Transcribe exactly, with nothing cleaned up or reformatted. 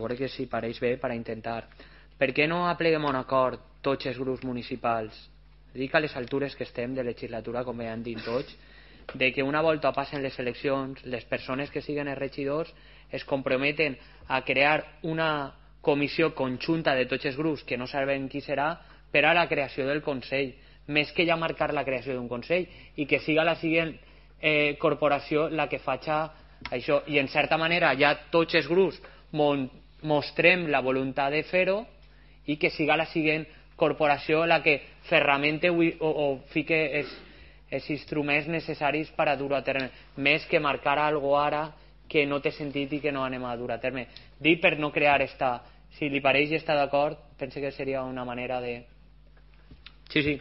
veure que si pareix bé per a intentar. Per què no apleguem un acord tots els grups municipals, dic a les altures que estem de legislatura, com ja han dit tots, de que una volta passen les eleccions, les persones que siguen els regidors es comprometen a crear una comissió conjunta de tots els grups, que no sabem qui serà, per a la creació del Consell, més que ja marcar la creació d'un Consell, i que siga la següent eh, corporació la que faci això. I en certa manera ja tots els grups mostrem la voluntat de fer-ho i que siga la següent corporació la que ferramente o, o fique els, els instruments necessaris per a dur a terme, més que marcar algo ara que no té sentit i que no anem a dur a terme. Dic per no crear esta... Si li pareix i està d'acord, pense que seria una manera de... Sí, sí.